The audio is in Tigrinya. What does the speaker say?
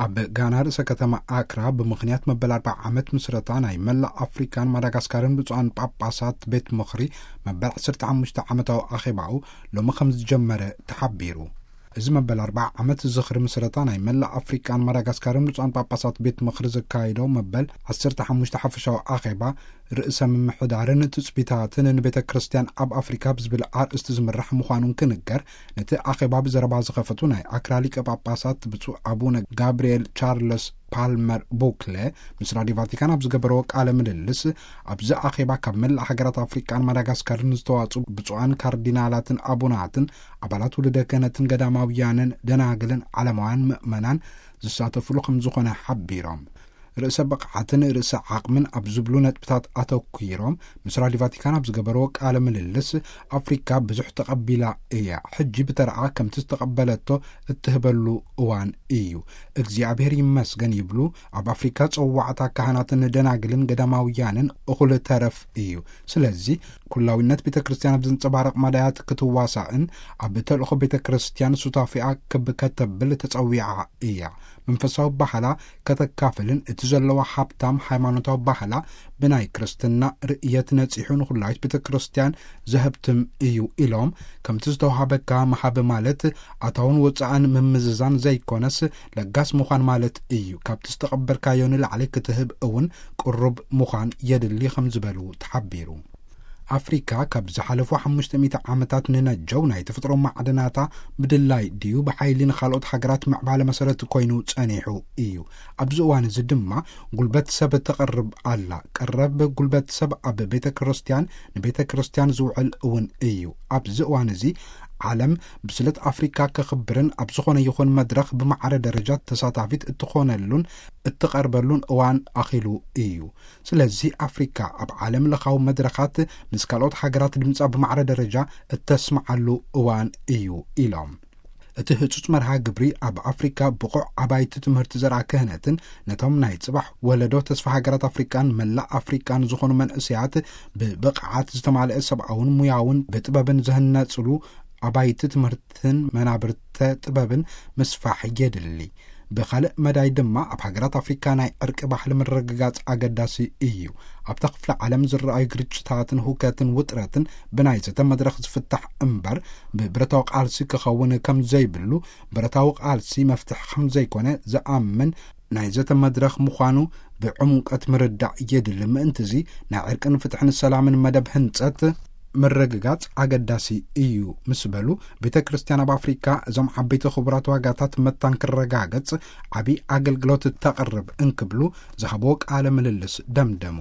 ኣብ ጋና ርእሰ ከተማ ኣክራ ብምኽንያት መበል ኣርብዓ ዓመት ምስረታ ናይ መላእ ኣፍሪካን ማዳጋስካርን ብፁዓን ጳጳሳት ቤት ምኽሪ መበል ዓሰርተ ሓሙሽተ ዓመታዊ ኣኼባኡ ሎሚ ከም ዝጀመረ ተሓቢሩ። እዚ መበል ኣርብዓ ዓመት ዝኽሪ ምስረታ ናይ መላእ ኣፍሪቃን ማዳጋስካርን ብፁዓን ጳጳሳት ቤት ምኽሪ ዘካየዶ መበል ዓሰርተ ሓሙሽተ ሓፈሻዊ ኣኼባ ርእሰ ምምሕዳርን ትጽቢታትን ንቤተ ክርስቲያን ኣብ ኣፍሪካ ብዝብል ኣርእስቲ ዝምራሕ ምዃኑን ክንገር፣ ነቲ ኣኼባ ብዘረባ ዝኸፈቱ ናይ ኣክራ ሊቀ ጳጳሳት ብፁዕ ኣቡነ ጋብርኤል ቻርለስ ፓልመር ቡክለ ምስ ራዲዮ ቫቲካን ኣብ ዝገበረዎ ቃለ ምልልስ፣ ኣብዚ ኣኼባ ካብ መላእ ሃገራት ኣፍሪቃን ማዳጋስካርን ዝተዋጽኡ ብፁዓን ካርዲናላትን ኣቡናትን ኣባላት ውሉደ ክህነትን ገዳማውያንን ደናግልን ዓለማውያን ምእመናን ዝሳተፉሉ ከም ዝኾነ ሓቢሮም፣ ርእሰ ብቕዓትን ርእሰ ዓቕምን ኣብ ዝብሉ ነጥብታት ኣተኲሮም ምስ ራዲዮ ቫቲካን ኣብ ዝገበርዎ ቃለ ምልልስ፣ ኣፍሪካ ብዙሕ ተቐቢላ እያ። ሕጂ ብተረኣ ከምቲ ዝተቐበለቶ እትህበሉ እዋን እዩ። እግዚኣብሔር ይመስገን ይብሉ። ኣብ ኣፍሪካ ጸዋዕታ ካህናትን ደናግልን ገዳማውያንን እኹል ተረፍ እዩ። ስለዚ ኩላዊነት ቤተ ክርስቲያን ኣብ ዘንጸባርቕ መዳያት ክትዋሳእን ኣብ ተልእኾ ቤተ ክርስቲያን ሱታፊኣ ክብ ከተብል ተጸዊዓ እያ። መንፈሳዊ ባህላ ከተካፍልን እቲ ዘለዋ ሃብታም ሃይማኖታዊ ባህላ ብናይ ክርስትና ርእየት ነጺሑ ንኹላዊት ቤተ ክርስቲያን ዘህብትም እዩ ኢሎም፣ ከምቲ ዝተውሃበካ መሃብ ማለት ኣታውን ወጻእን ምምዝዛን ዘይኮነስ ለጋስ ምዃን ማለት እዩ። ካብቲ ዝተቐበልካዮ ንላዕሊ ክትህብ እውን ቅሩብ ምዃን የድሊ ከም ዝበሉ ተሓቢሩ። ኣፍሪካ ካብ ዝሓለፉ ሓሙሽተ ሚእቲ ዓመታት ንነጀው ናይ ተፈጥሮ ማዕድናታ ብድላይ ድዩ ብሓይሊ ንኻልኦት ሃገራት ምዕባለ መሰረት ኮይኑ ጸኒሑ እዩ። ኣብዚ እዋን እዚ ድማ ጉልበት ሰብ ተቐርብ ኣላ። ቀረብ ጉልበት ሰብ ኣብ ቤተ ክርስቲያን፣ ንቤተ ክርስቲያን ዝውዕል እውን እዩ። ኣብዚ እዋን እዚ ዓለም ብስለት ኣፍሪካ ከኽብርን ኣብ ዝኾነ ይኹን መድረኽ ብማዕረ ደረጃ ተሳታፊት እትኾነሉን እትቐርበሉን እዋን ኣኺሉ እዩ። ስለዚ ኣፍሪካ ኣብ ዓለም ለኻዊ መድረኻት ምስ ካልኦት ሃገራት ድምጻ ብማዕረ ደረጃ እተስምዓሉ እዋን እዩ ኢሎም። እቲ ህጹጽ መርሃ ግብሪ ኣብ ኣፍሪካ ብቑዕ ኣባይቲ ትምህርቲ ዘርኣ ክህነትን ነቶም ናይ ጽባሕ ወለዶ ተስፋ ሃገራት ኣፍሪቃን መላእ ኣፍሪቃን ዝኾኑ መንእሰያት ብብቕዓት ዝተማልአ ሰብኣውን ሙያውን ብጥበብን ዝህነጽሉ ኣባይቲ ትምህርትን መናብርተ ጥበብን ምስፋሕ የድሊ። ብኻልእ መዳይ ድማ ኣብ ሃገራት ኣፍሪካ ናይ ዕርቂ ባህሊ ምርግጋጽ ኣገዳሲ እዩ። ኣብታ ክፍለ ዓለም ዝረኣዩ ግርጭታትን ሁከትን ውጥረትን ብናይ ዘተ መድረኽ ዝፍታሕ እምበር ብብረታዊ ቃልሲ ክኸውን ከም ዘይብሉ፣ ብረታዊ ቃልሲ መፍትሒ ከም ዘይኮነ ዝኣምን ናይ ዘተ መድረኽ ምዃኑ ብዕምቀት ምርዳእ የድሊ። ምእንቲ እዚ ናይ ዕርቅን ፍትሕን ሰላምን መደብ ህንጸት ምርግጋጽ ኣገዳሲ እዩ ምስ በሉ፣ ቤተ ክርስቲያን ኣብ ኣፍሪካ እዞም ዓበይቲ ክቡራት ዋጋታት መታን ክረጋገጽ ዓብዪ ኣገልግሎት ተቕርብ እንክብሉ ዝሃብዎ ቃለ ምልልስ ደምደሙ።